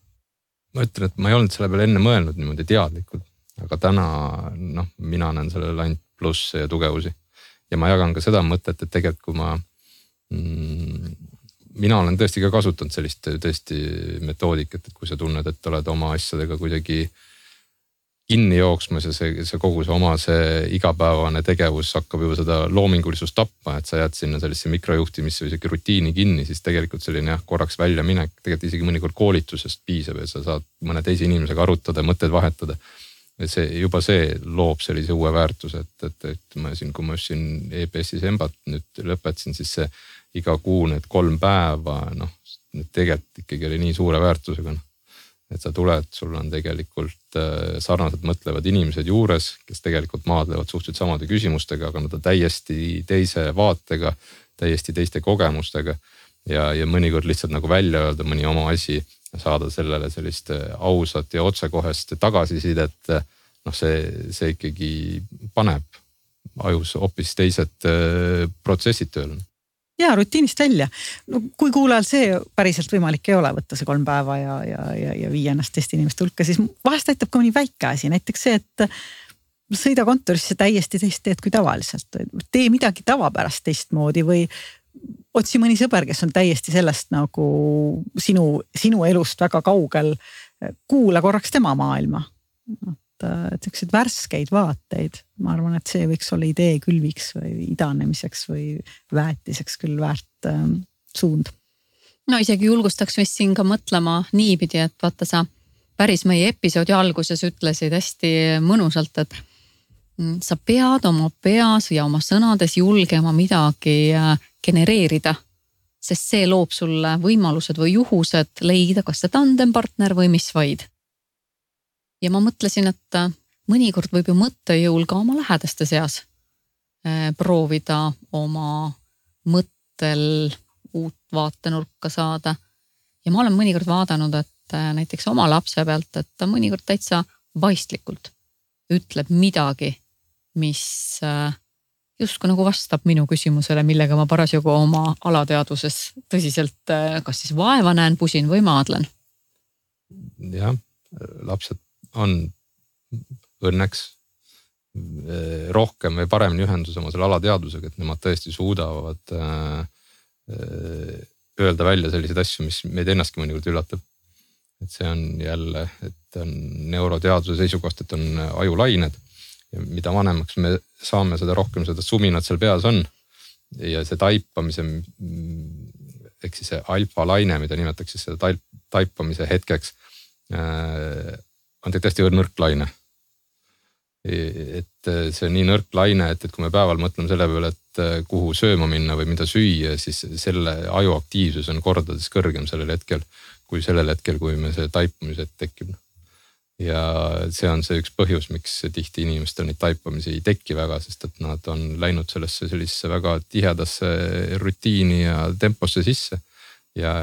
Ma ütlen, et ma ei olnud selle peale enne mõelnud niimoodi teadlikult, aga täna mina näen sellele ainult plusse ja tugevusi. Ja ma jagan ka seda mõtet, et tegelikult kui mina olen tõesti ka kasutanud sellist tõesti metoodikat, et kui sa tunned, et oled oma asjadega kuidagi kinni jooksmas ja see kogu see oma see igapäevane tegevus hakkab juba seda loomingulisust tappa, et sa jääd sinna sellesse mikrojuhtimisse või isegi rutiini kinni, siis tegelikult selline korraks välja minek, tegelikult isegi mõnikord koolitusest piisab ja sa saad mõne teise inimesega arutada, mõtted vahetada. Juba see loob sellise uue väärtuse, et ma siin, kui ma siin EBS-is embat nüüd lõpetasin, siis see iga kuu need 3 päeva, nüüd tegelikult ikkagi oli nii suure väärtusega. Et sa tuled, sul on tegelikult sarnaselt mõtlevad inimesed juures, kes tegelikult maadlevad suhteliselt samade küsimustega, aga nad on täiesti teise vaatega, täiesti teiste kogemustega ja mõnikord lihtsalt nagu välja öelda mõni oma asi ja saada sellele sellist ausat ja otsekohest tagasisidet, see ikkagi paneb ajus hoopis teised protsessid tööle. Ja rutiinist välja. No, kui kuulajal see päriselt võimalik ei ole võtta see 3 päeva ja viia ennast teiste inimeste hulka, siis vahest aitab ka mõni väike asi. Näiteks see, et sõida kontorisse täiesti teist teed kui tavaliselt. Tee midagi tavapärast teistmoodi või otsi mõni sõber, kes on täiesti sellest nagu sinu elust väga kaugel. Kuula korraks tema maailma. selliseid värskeid vaateid. Ma arvan, et see võiks olla idee külviks või idanemiseks või väetiseks küll väärt suund. No isegi julgustaks vist siin ka mõtlema niipidi, et vaata sa päris meie episoodi alguses ütlesid hästi mõnusalt, et sa pead oma peas ja oma sõnades julgema midagi genereerida, sest see loob sulle võimalused või juhused leida kas see tandempartner või mis vaid. Ja ma mõtlesin, et mõnikord võib ju mõttejõul ka oma lähedaste seas proovida oma mõttel uut vaatenurka saada. Ja ma olen mõnikord vaadanud, et näiteks oma lapse pealt, et ta mõnikord täitsa vaistlikult ütleb midagi, mis justkui nagu vastab minu küsimusele, millega ma parasjagu oma alateaduses tõsiselt kas siis vaeva näen, pusin või maadlen. Jah, lapsed on õnneks rohkem või paremini ühendus oma selle alateadusega, et nemad tõesti suudavad öelda välja selliseid asju, mis meid ennastki mõnikord üllatab. Et see on jälle, et on neuroteaduse seisukohast, et on ajulained ja mida vanemaks me saame, seda rohkem seda suminat seal peas on. Ja see taipamise, ehk siis see alfa-laine, mida nimetatakse seda taipamise hetkeks, on tõesti nõrk laine. Et see on nii nõrk laine, et kui me päeval mõtleme selle peale, et kuhu sööma minna või mida süüa, siis selle aju aktiivsus on kordades kõrgem sellel hetkel, kui me see taipamise tekib. Ja see on see üks põhjus, miks tihti inimestel neid taipamisi ei teki väga, sest et nad on läinud sellisesse väga tihedasse rutiini ja temposse sisse ja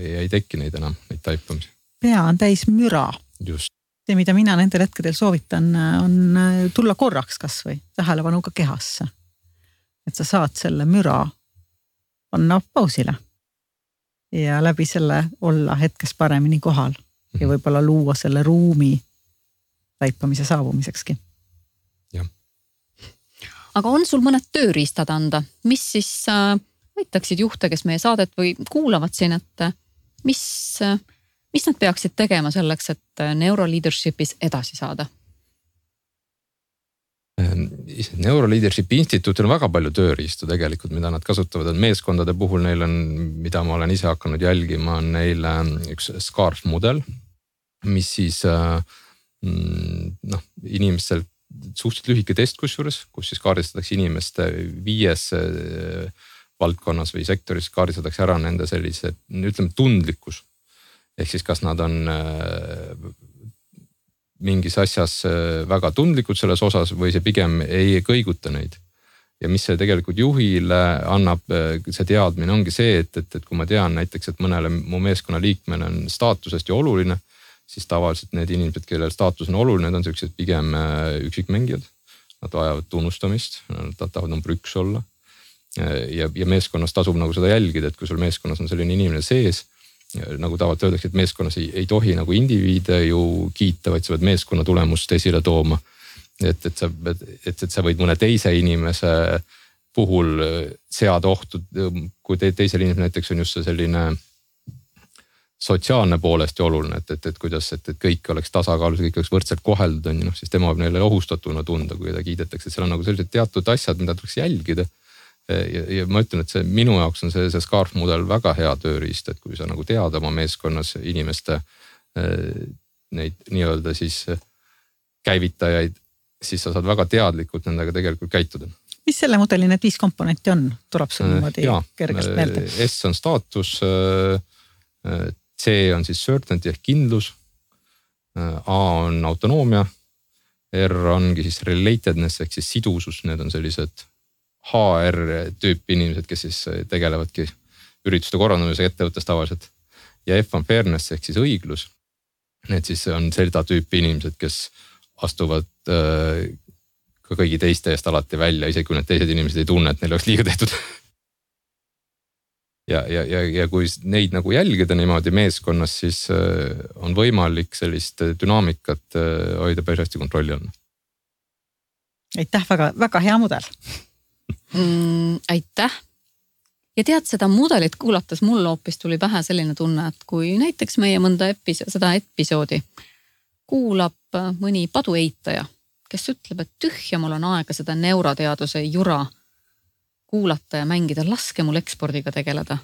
ei teki neid enam, neid taipamisi. Pea on täis müra. Just. See, mida mina nendel hetkedel soovitan, on tulla korraks kas või tähelepanuga kehasse. Et sa saad selle müra panna pausile ja läbi selle olla hetkes paremini kohal ja võib-olla luua selle ruumi taipamise saabumisekski. Jah. Aga on sul mõned tööriistad anda, mis siis aitaksid juhte, kes meie saadet või kuulavad siin, et mis nad peaksid tegema selleks, et Neuroleaderships edasi saada? Neuroleadershipi instituutil on väga palju tööriistu tegelikult, mida nad kasutavad. Meeskondade puhul neil on, mida ma olen ise hakanud jälgima, on neil üks SCARF mudel, mis siis inimestel suhteliselt lühike test kusjuures, kus siis kaardistatakse inimeste 5 valdkonnas või sektoris kaardistatakse ära nende sellise, ütleme, tundlikkus. Ehk siis kas nad on mingis asjas väga tundlikud selles osas või see pigem ei kõiguta neid. Ja mis see tegelikult juhile annab, see teadmine ongi see, et kui ma tean näiteks, et mõnele mu meeskonna liikmele on staatusest ju oluline, siis tavaliselt need inimesed, kellel staatus on oluline, need on sellised pigem üksikmängijad. Nad vajavad tunnustamist, nad tahavad number 1 olla. Ja meeskonnas tasub nagu seda jälgida, et kui sul meeskonnas on selline inimene sees, nagu tavaliselt öeldakse, et meeskonnas ei tohi nagu indiviide ju kiita, vaid sa pead meeskonna tulemust esile tooma. Et sa võid mõne teise inimese puhul seada ohtu, kui teisel inimesel näiteks on just see selline sotsiaalne poolest ja oluline, et kuidas, et kõik oleks tasakaalus, kõik oleks võrdselt koheldud, siis tema võib neile ohustatuna tunda, kui ta kiidetakse. Seal on nagu sellised teatud asjad, mida tuleks jälgida. Ja ma ütlen, et minu jaoks on see SCARF mudel väga hea tööriist, et kui sa nagu tead oma meeskonnas inimeste neid nii-öelda siis käivitajaid, siis sa saad väga teadlikult nendega tegelikult käituda. Mis selle mudeli need 5 komponenti on? Tuleb sul niimoodi kergest meelde? S on staatus, C on siis certainty ehk kindlus, A on autonoomia, R ongi siis relatedness ehk siis sidusus, need on sellised HR tüüpi inimesed, kes siis tegelevadki ürituste korraldamisega ettevõttes tavaliselt. Ja F on fairness ehk siis õiglus. Need siis on seda tüüpi inimesed, kes astuvad ka kõigi teiste eest alati välja, isegi kui need teised inimesed ei tunne, et neil oleks liiga tehtud. Ja kui neid nagu jälgida niimoodi meeskonnas, siis on võimalik sellist dünaamikat hoida päris hästi kontrolli all. Aitäh, väga hea mudel. Aitäh. Ja tead, seda mudelit kuulates mul hoopis tuli pähe selline tunne, et kui näiteks meie mõnda seda episoodi kuulab mõni padueitaja, kes ütleb, et tühja mul on aega seda neuroteaduse jura kuulata ja mängida, laske mul ekspordiga tegeleda.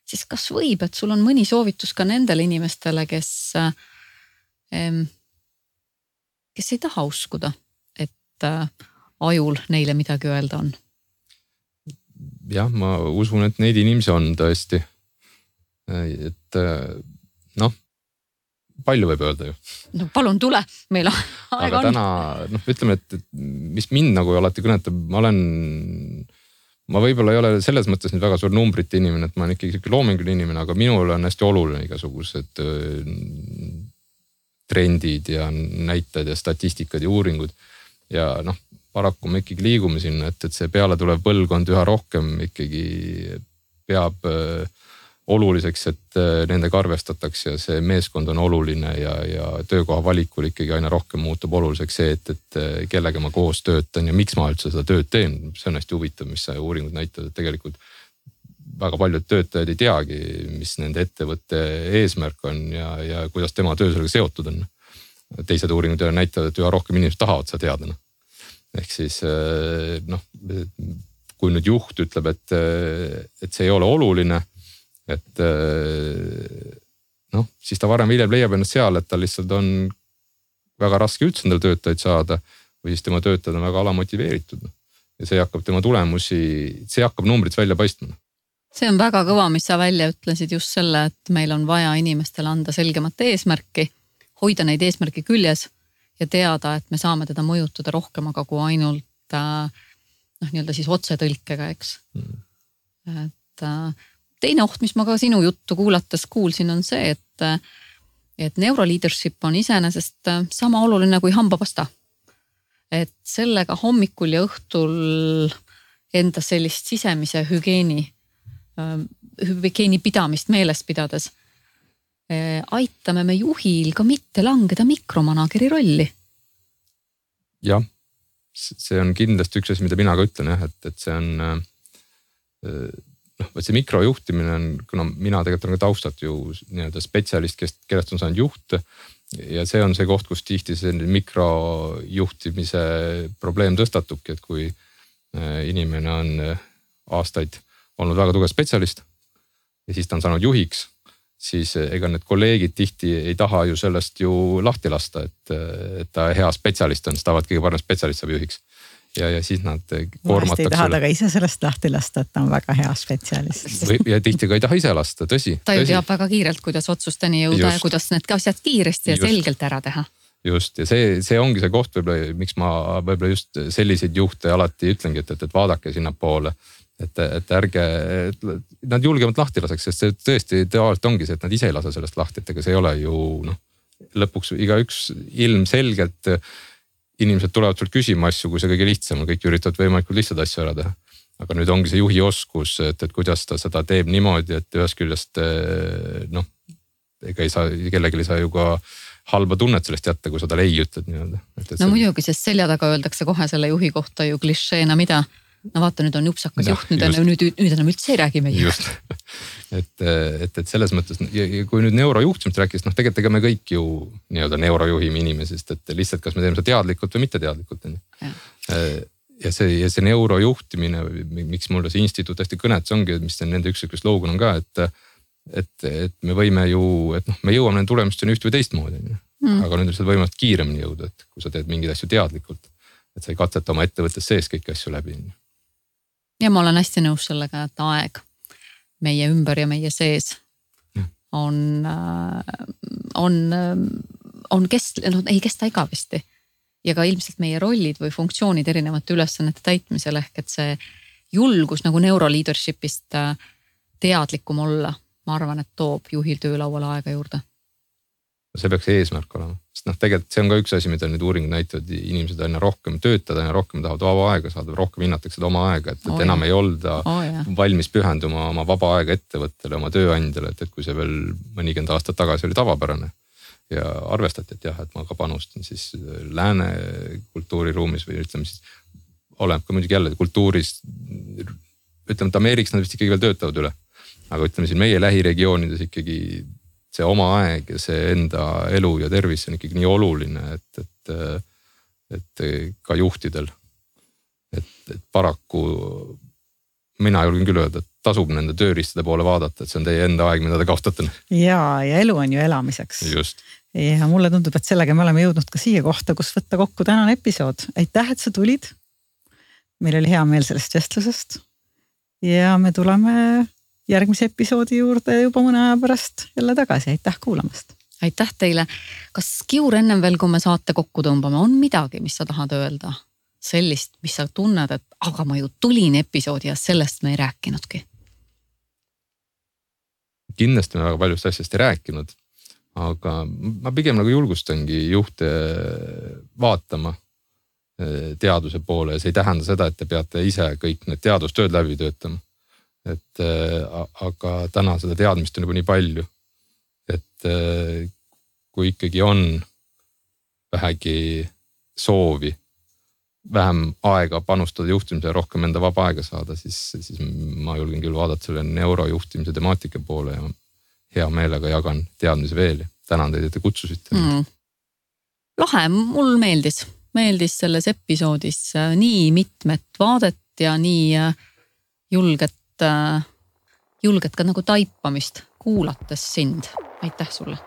Siis kas võib, et sul on mõni soovitus ka nendele inimestele, kes ei taha uskuda, et ajul neile midagi öelda on? Jah, ma usun, et neid inimesi on tõesti. Et palju võib öelda ju. No palun tule, meil aega on. Aga täna, ütleme, et mis mind nagu alati kõnetab, ma võib-olla ei ole selles mõttes nüüd väga suur numbrite inimene, et ma olen ikkagi loominguline inimene, aga minul on hästi oluline igasugused trendid ja näitajad ja statistikad ja uuringud. Ja paraku me ikkagi liigume sinna, et see peale tulev põlvkond üha rohkem ikkagi peab oluliseks, et nendega arvestatakse ja see meeskond on oluline ja töökoha valikul ikkagi aina rohkem muutub oluliseks see, et kellega ma koos töötan ja miks ma üldse seda tööd teen. See on hästi huvitav, mis uuringud näitavad, et tegelikult väga paljud töötajad ei teagi, mis nende ettevõtte eesmärk on ja kuidas tema töö sellega seotud on. Teised uuringud näitavad, et üha rohkem inimesed tahavad seda teada. Ehk siis kui nüüd juht ütleb, et see ei ole oluline, et siis ta varem hiljem leiab ennast seal, et ta lihtsalt on väga raske üldse endale töötajaid saada või siis tema töötajad on väga alamotiveeritud. Ja see hakkab tema tulemusi, see hakkab numbrites välja paistma. See on väga kõva, mis sa välja ütlesid just selle, et meil on vaja inimestele anda selgemat eesmärki, hoida neid eesmärki küljes ja teada, et me saame teda mõjutada rohkem, aga kui ainult nii-öelda siis otsetõlkega, eks. Et teine oht, mis ma ka sinu juttu kuulates kuulsin, on see, et neuroleadership on iseenesest sama oluline kui hambapasta. Et sellega hommikul ja õhtul enda sellist sisemise hügieeni pidamist meeles pidades aitame me juhil ka mitte langeda mikromanageri rolli. Jah, see on kindlasti üks asi, mida mina ka ütlen, et see on see mikrojuhtimine on, kuna mina tegelikult olen ka taustat ju nii-öelda spetsialist, kellest on saanud juht ja see on see koht, kus tihti selline mikrojuhtimise probleem tõstatubki, et kui inimene on aastaid olnud väga tugev spetsialist ja siis ta on saanud juhiks, siis ega need kolleegid tihti ei taha ju sellest ju lahti lasta, et ta hea spetsialist on, siis tahavad kõige parem spetsialist saab juhiks. Ja siis nad koormatakse. Ei taha ta ka ise sellest lahti lasta, et ta on väga hea spetsialist. Ja tihti ka ei taha ise lasta, tõsi. Ta ju teab väga kiirelt, kuidas otsusteni jõuda ja kuidas need asjad kiiresti ja selgelt ära teha. Just, ja see ongi see koht võib-olla, miks ma võib-olla just selliseid juhte alati ütlengi, et vaadake sinna poole. Et ärge, nad julgemalt lahti laseks, sest see tõesti tavaliselt ongi see, et nad ise ei lase sellest lahti, et ega see ei ole ju lõpuks igaüks ilmselgelt inimesed tulevad sul küsima asju, kui see kõige lihtsam, kõik üritavad võimalikult lihtsalt asju ära teha. Aga nüüd ongi see juhi oskus, et kuidas ta seda teeb niimoodi, et ühest küljest ega ei saa, kellelegi ei saa ju ka halba tunnet sellest jätta, kui sa talle ei ütled nii-öelda. No muidugi, sest selja taga öeldakse kohe selle juhi kohta ju klišeena mida. No vaata, nüüd on jupsakas juht, nüüd enam üldse ei räägi meie. Just, et selles mõttes, kui nüüd neurojuhtimist rääkis, tegelikult ega me kõik ju nii-öelda neurojuhime inimesest, et lihtsalt kas me teeme seda teadlikult või mitte teadlikult. Ja see neurojuhtimine, miks mulle see instituut hästi kõnet, see ongi, mis nende üks slogan on ka, et me võime ju, et me jõuame nende tulemusteni üht või teistmoodi. Aga nüüd on seda võimalik kiiremini jõuda, et kui sa teed mingeid asju teadlikult, et sa ei katseta oma ettevõttes sees kõiki asju läbi. Ja ma olen hästi nõus sellega, et aeg meie ümber ja meie sees ei kesta igavesti. Ja ka ilmselt meie rollid või funktsioonid erinevate ülesannete täitmisel ehk et see julgus nagu neuroleadershipist teadlikum olla, ma arvan, et toob juhil töölauale aega juurde. See peaks eesmärk olema, sest tegelikult see on ka üks asi, mida nüüd uuringud näitavad, inimesed aina rohkem töötada, aina rohkem tahavad vaba aega saada, rohkem hinnatakse seda oma aega, et enam ei olda valmis pühenduma oma vaba aega ettevõttele, oma tööandjale, et kui see veel mõnikümmend aastat tagasi oli tavapärane ja arvestati, et jah, et ma ka panustan siis lääne kultuuriruumis või ütleme siis, oleneb ka muidugi jälle kultuuris, ütleme, et Ameerikas nad vist ikkagi veel töötavad üle, aga ütleme siin meie lähiregioonides ikkagi see oma aeg ja see enda elu ja tervis on ikkagi nii oluline, et ka juhtidel. Et paraku mina julgen küll öelda, et tasub nende tööriistade poole vaadata, et see on teie enda aeg, mida te kaotate. Ja elu on ju elamiseks. Just. Ja mulle tundub, et sellega me oleme jõudnud ka siia kohta, kus võtta kokku tänane episood. Aitäh, et sa tulid. Meil oli hea meel sellest vestlusest. Ja me tuleme järgmise episoodi juurde juba mõne aja pärast jälle tagasi. Aitäh kuulamast. Aitäh teile. Kas Kiur ennem veel, kui me saate kokku tõmbame, on midagi, mis sa tahad öelda? Sellist, mis sa tunned, et aga ma ju tulin episoodi ja sellest me ei rääkinudki. Kindlasti me väga paljust asjast ei rääkinud, aga ma pigem nagu julgustangi juhte vaatama teaduse poole ja see ei tähenda seda, et te peate ise kõik need teadustööd läbi töötama. Aga täna seda teadmist on juba nii palju, et kui ikkagi on vähegi soovi vähem aega panustada juhtimise ja rohkem enda vaba aega saada, siis ma julgen küll vaadata selle neurojuhtimise temaatika poole ja hea meelega jagan teadmisi veel. Tänan teid, et te kutsusite. Lahe, mul meeldis selles episoodis nii mitmed vaadet ja nii julget ka nagu taipamist kuulates sind. Aitäh sulle.